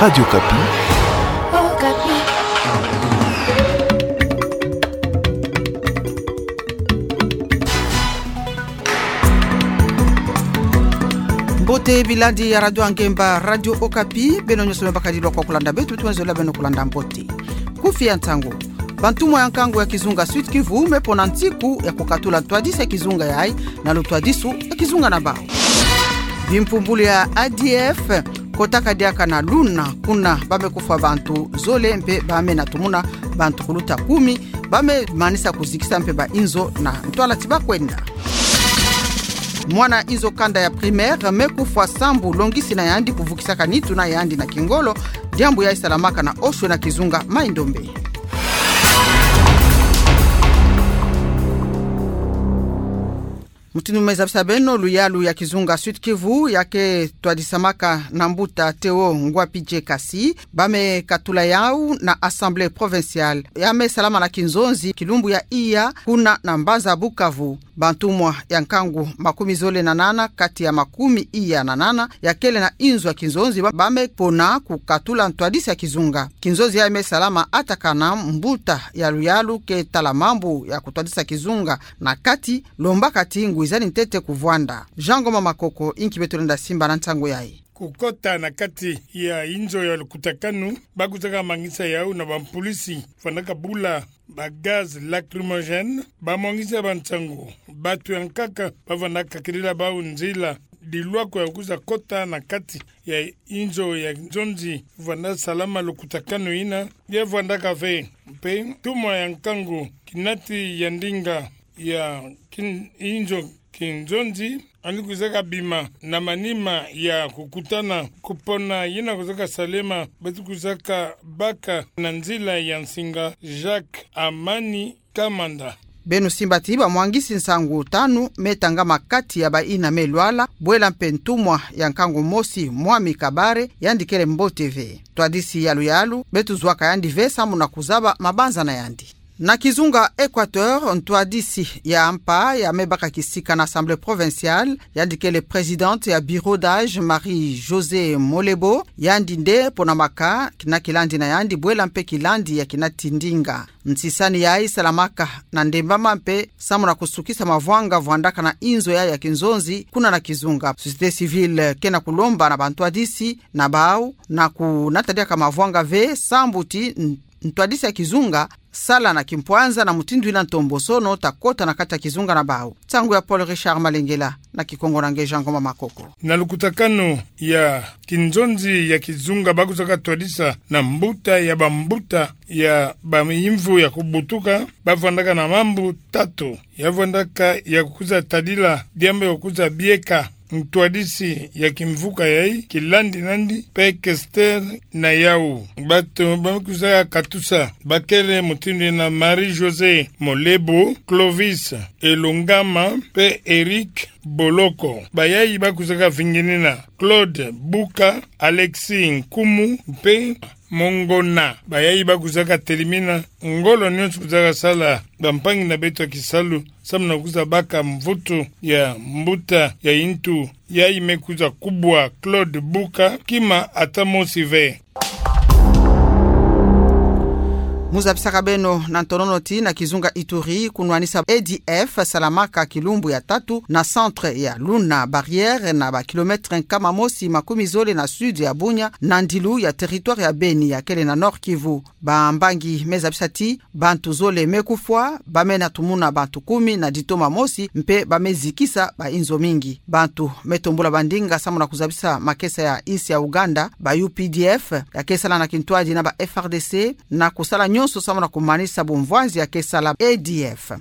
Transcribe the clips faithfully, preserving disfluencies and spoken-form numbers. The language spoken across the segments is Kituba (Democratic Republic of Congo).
Radio Okapi. Mbote bilandi ya Radio Angemba, Radio Okapi, beno nyonso me bakadilwa kwa kulanda beto, beto me zola beno kulanda mbote. Kufi ya ntangu. Bantumwa ya nkangu ya kizunga Sud-Kivu me pona nsiku ya kukatula ntwadisi ya kizunga yayi na lutwadisi ya kizunga na bawu. Bimpumbulu ya A D F kotaka diaka na Luna, kuna ba me kufwa bantu zole mpe ba me natumuna bantu kuluta kumi, ba me manisa kuzikisa mpe ba inzo na ntwala ti ba kwenda. Mwana inzo kanda ya primaire me kufwa sambu longisi na yandi kuvukisaka nitu na yandi na kingolo, diambu yayi salamaka na Oshwe na kizunga Mai-Ndombe. Mutindu me zabisa beno, luyalu ya kizunga Sud-Kivu ya ke twadisamaka na mbuta Théo Ngwapidje Kasi, ba me katula yawu na Assemblée provinciale ya me salama na kinzonzi kilumbu ya iya kuna na mbanza Bukavu. Bantumwa ya nkangu makumi zole na nana kati ya makumi iya na nana ya kele na inzo ya kinzonzi ba, ba me pona kukatula ntwadisi ya kizunga. Kinzonzi yayi me salama ata kana mbuta ya luyalu ke tala mambu ya kutwadisa kizunga na kati, lombaka ti ngwizani ntete kuvwanda. Jean Ngoma Makoko, inki beto lenda simba na nsangu yayi. Kukota na kati ya inzo ya lukutakanu, ba kuzaka mangisa yawu na bampulisi, fwanaka bula ba gaz lacrymogène, ba mwangisa ba nsangu. Bantu ya nkaka ba fwanaka kilila bawu nzila, dilwako ya kuza kota na kati ya inzo ya nzonzi, fwanda salama lukutakanu yina, ya fwandaka ve. Mpe ntumwa ya nkangu kinati ya ndinga ya kin-, inzo kinzonzi, yandi kuzaka bima na manima ya kukutana kupona yina kuzaka salema, beto kuzaka baka na nzila ya nsinga Jacques Amani Kamanda. Beno simba ti bamwangisi nsangu tanu me tangama kati ya bayina me lwala, bwela mpe ntumwa ya nkangu mosi, Mwami Kabare, yandi kele mbote ve. Ntwadisi ya luyalu, beto zwaka yandi ve samu na kuzaba mabanza na yandi. Na kizunga Équateur, ntwadisi ya mpa ya me baka kisika na Assemblée provinciale, yandi kele présidente ya bureau d'âge, Marie-Josée Molebo, yandi nde ponamaka na kilandi na yandi, bwela mpe kilandi ya kinati ndinga. Nsisani yayi salamaka na ndembama mpe samu na kusukisa mavwanga vwandaka na inzo yayi ya kinzonzi kuna na kizunga. Société civile ke na kulomba na bantwadisi na bawu na kunata diaka mavwanga ve sambu ti n-, ntwadisi ya kizunga sala na kimpwanza na mutindu yina ntombosono ta kota na kati ya kizunga na bawu. Nsangu ya Paul Richard Malengela, na Kikongo na nge Jean Ngoma Makoko. Na lukutakanu ya kinzonzi ya kizunga ba kuzaka twadisa na mbuta ya bambuta ya bayimvu ya kubutuka, ba fwandaka na mambu tatu. Ya fwandaka ya kuza tadila diambu ya kuza bieka ntwadisi ya kimvuka yayi, kilandi nandi, mpe questeur na yawu. Bantu ba me kuza katusa ba kele mutindu yina Marie-Josée Molebo, Clovis Elongama, mpe Eric Boloko. Bayayi ba kuzaka vinginina Claude Buka, Alexis Nkumu, mpe Mongona. Bayayi ba kuzaka telimina ngolo nyonso kuzaka sala bampangi na beto ya kisalu, samu na kuza baka mvutu ya mbuta ya yintu yayi me kuza kubwa Claude Buka kima ata mosi ve. Mu zabisaka beno na ntonono ti na kizunga Ituri, kunwanisa A D F salamaka kilumbu ya tatu na centre ya Luna Barrière, na ba kilomètre nkama mosi makumi zole na sud ya Bunia, na ndilu ya territoire ya Beni ya kele na Nord-Kivu. Bambangi me zabisa ti bantu zole me kufwa, ba me natumuna bantu kumi na ditoma mosi, mpe ba me zikisa ba inzo mingi. Bantu me tombula bandinga samu na kuzabisa makesa ya insi ya Ouganda, ba U P D F, ya ke sala na kintwadi na ba F R D C, na kusala nyonso samu na kumanisa bumvwanzi ya ke sala A D F.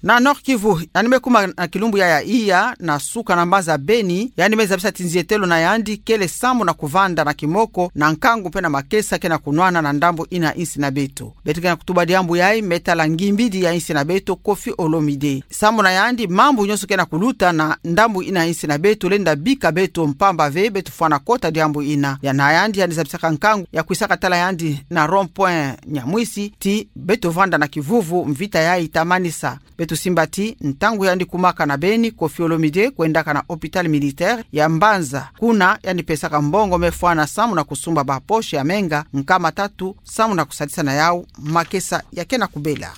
Na Nord-Kivu, yandi me kuma na kilumbu ya ya iya, na suka na mbanza Beni, yandi me zabisa ti nzietelo na yandi kele samu na kuvanda na kimoko na nkangu mpe na makesa ke na kunwana na ndambu yina insi na beto. Beto ke na kutuba diambu yayi me tala ngimbidi ya insi na beto Koffi Olomide. Samu na yandi mambu nyonso ke na kuluta na ndambu yina insi na beto lenda bika beto mpamba ve beto fwana kota diambu yina. Ya na yandi, yandi zabisaka nkangu ya kwisaka tala yandi na rond-point Nyamwisi ti beto vanda na kivuvu, mvita yayi ta manisa. Beto Tusimba ti, ntangu yandi kumaka na beni, Koffi Olomide kwendaka na hôpital militaire ya Mbanza. Kuna yandi pesaka mbongo me fwana samu na kusumba ba poche ya menga nkama tatu, samu na kusadisa na yau makesa ya kena kubela.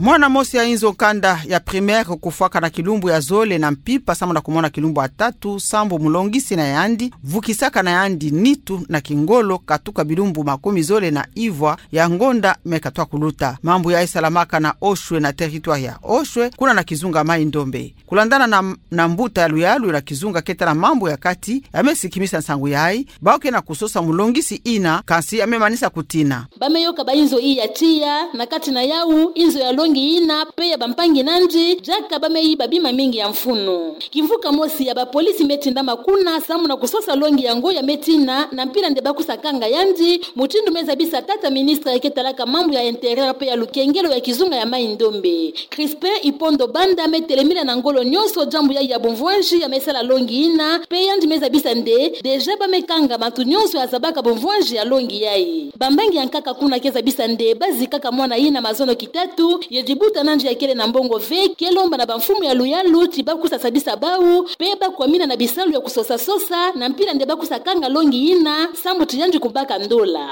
Mwana mosi ya inzo kanda ya primaire kufwaka na kilumbu ya zole na mpimpa samu na kumona kilumbu ya tatu, sambu mulongisi na yandi vukisaka na yandi nitu na kingolo katuka bilumbu makumi zole na ivwa ya ngonda me katwa kuluta. Mambu yayi salamaka na Oshwe, na territoire ya Oshwe, kuna na kizunga Mai-Ndombe. Kulandana na, na mbuta ya luyalu na kizunga keta na mambu ya kati, ya me sikimisa nsangu yayi, bau ke na kusosa mulongisi ina, kansi ya me manisa kutina. Ba me yoka ba inzo iya tiya, na kati na yau, inzo ya longi ina, pe ya bampangi nandi, diaka ba me yiba bima mingi ya mfunu. Kimvuka mosi ya ba polisi me tindama kuna, samu na kusosa longi yango ya me tina, na mpila nde ba kusa kanga yandi, mutindu me zabisa tata ministre ya ke talaka mambu ya intérieur pe ya lukengelo ya kizunga ya Mai-Ndombe. Crispin Ipondo Banda me telemina na ngolo nyonso diambu yayi ya bumvwanji ya me sala longi ina, pe yandi me zabisa nde, déjà ba me kanga bantu nyonso ya zabaka bumvwanji ya longi yayi. Bambangi ya nkaka kuna ke zabisa nde, ba zikaka mwana ina mazono kitatu, ye dibuta nandi ya kele na mbongo ve, ke lomba na bamfumu ya luyalu, ti ba kusa sadisa bau, pe ba kwamina na bisalu ya kusosa-sosa, na mpila nde ba kusa kanga longi ina, sambu ti yandi kubaka ndola.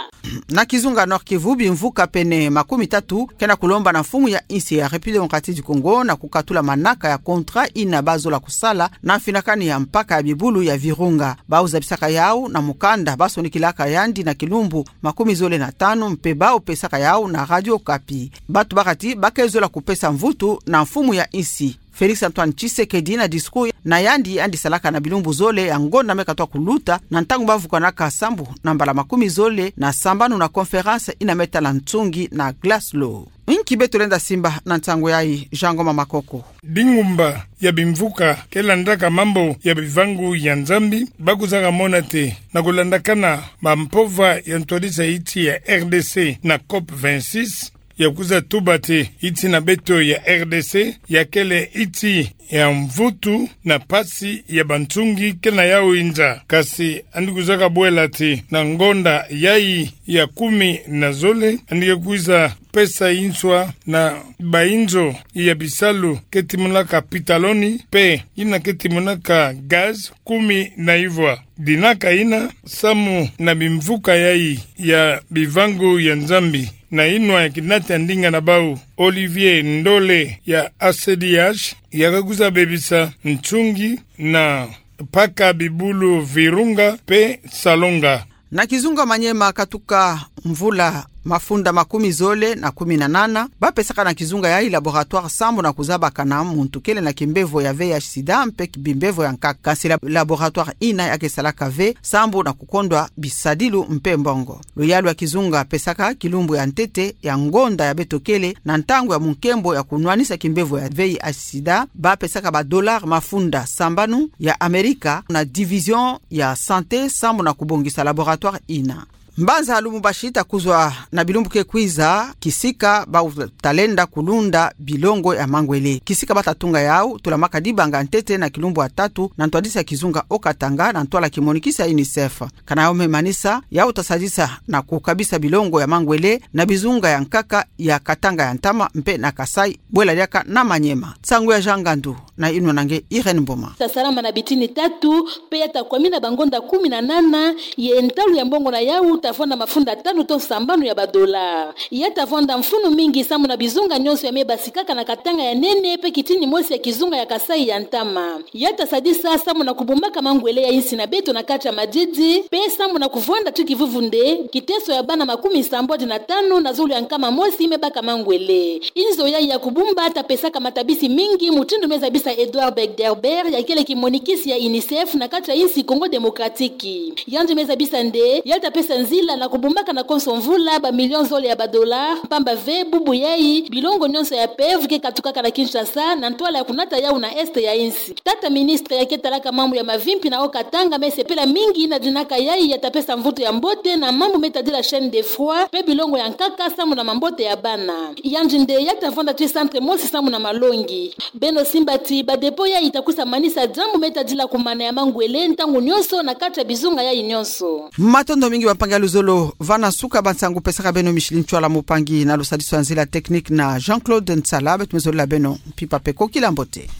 Na kizunga Nord-Kivu, bimvuka pene makumi tatu ke na kulomba na mfumu ya insi ya République Démocratique du Congo na kukatula manaka ya contrat ina ba zola kusala na mfinakani ya mpaka ya bibulu ya Virunga. Bau zabisaka yau na mukanda ba sonikilaka yandi na kilumbu makumi zole na tanu, mpe bau pesaka yau na Radio Okapi. Bantu bakati ba ke zola kupesa mvutu na mfumu ya insi Félix Antoine Tshisekedi na discours na yandi yandi salaka na bilumbu zole ya ngonda me katwa kuluta, na ntangu ba vukanaka sambu na mbala makumi zole na sambanu na conférence ina me tala nsungi na Glasgow. Inki beto lenda simba na nsangu yayi, Jean Ngoma Makoko? Bingumba ya bimvuka ke landaka mambu ya bivangu ya Nzambi, ba kuzaka mona ti, na kulandakana mampova ya ntwadisa insi ya R D C na COP vingt-six, ya kuza tuba ti insi na beto ya R D C ya kele insi ya mvutu na mpasi ya bansungi ke na yau inza. Kansi yandi kuzaka bwela ti na ngonda yayi ya kumi na zole, yandi ke kwiza pesa nswa na bainzo ya bisalu ke timonaka pitaloni, pe ina ke timonaka gaz kumi na ivwa. Dinaka ina samu na bimvuka yayi ya bivangu ya Nzambi, na inwa ya kinata ndinga na bau, Olivier Ndole ya A C D H, ya ka kwiza bebisa nsungi na mpaka bibulu Virunga pe Salonga. Na kizunga Maniema, katuka mvula mafunda makumi zole na kumi na nana, ba pesaka na kizunga yayi laboratoire sambu na kuzabaka na muntu kele na kimbevo ya V I H sida mpe bimbevo ya nkaka. Kansi la-, laboratoire ina ya ke salaka ve sambu na kukondwa bisadilu mpe mbongo. Luyalu ya kizunga pesaka kilumbu ya ntete ya ngonda ya beto kele na ntangu ya munkembo ya kunwanisa kimbevo ya V I H sida, ba pesaka ba dollars mafunda sambanu ya Amerika na division ya santé sambu na kubongisa laboratoire ina. Mbanza lumbu bashi ta kuzwa na bilumbu ke kwiza, kisika bau ta lenda kulunda bilongo ya mangwele. Kisika ba ta tunga yau, tulamaka dibanga ntete na kilumbu ya tatu na ntwadisa kizunga Haut-Katanga na ntwala kimonikisi ya UNICEF. Kana yau me manisa, yau ta sadisa na kukabisa bilongo ya mangwele na bizunga ya nkaka ya Katanga ya ntama mpe na Kasaï, bwela diaka na Maniema. Nsangu ya Jean Ngandu, na inwa na nge Irène Mboma. Ta salama na bitini tatu, pe ya ta kwamina bangonda kumi na nana, ye ntalu ya mbongo na yau ta vwanda mafunda tanu to sambanu ya ba dollars. Ya ta vwanda mfunu mingi sambu na bizunga nyonso ya me basikaka na Katanga ya nene pe kitini mosi ya kizunga ya Kasaï ya ntama. Ya ta sadisa sambu na kubumbaka mangwele ya insi na beto na kati ya madidi, pe sambu na kuvwanda ti kivuvu nde kiteso ya bana makumi sambwadi na tanu na zulu ya nkama mosi me baka mangwele. Inzo yayi ya kubumba ta pesaka matabisi mingi, mutindu me zabisa Edouard Begderber, ya kele kimonikisi ya UNICEF na kati ya insi Congo Démocratique. Yandi me zabisa nde ya ta pesa nzila na kubumbaka na konso mvula ba millions zole ya ba dollars, mpamba ve bubu yayi bilongo nyonso ya PEV ke katukaka na Kinshasa na ntwala ya kunata yau na est ya insi. Tata ministre ya ke talaka mambu ya mavimpi na Haut-Katanga me sepela mingi na dinaka yayi ya ta pesa mvutu ya mbote na mambu me tadila chaîne de froid pe bilongo ya nkaka sambu na mambote ya bana. Yandi nde ya ta vwanda ti centre mosi sambu na malongi. Beno simba ti ba dépôt yayi ta kwiza manisa diambu me tadila kumana ya mangwele ntangu nyonso na kati ya bizunga yayi nyonso. Matondo mingi bampangi ya Luzolo, vana suka ba nsangu pesaka beno Micheline Tshoala Mupangi, na lo sadiso ya nzila technique na Jean-Claude Nsala. Beto mezolila beno mpimpa pe ko kila mbote.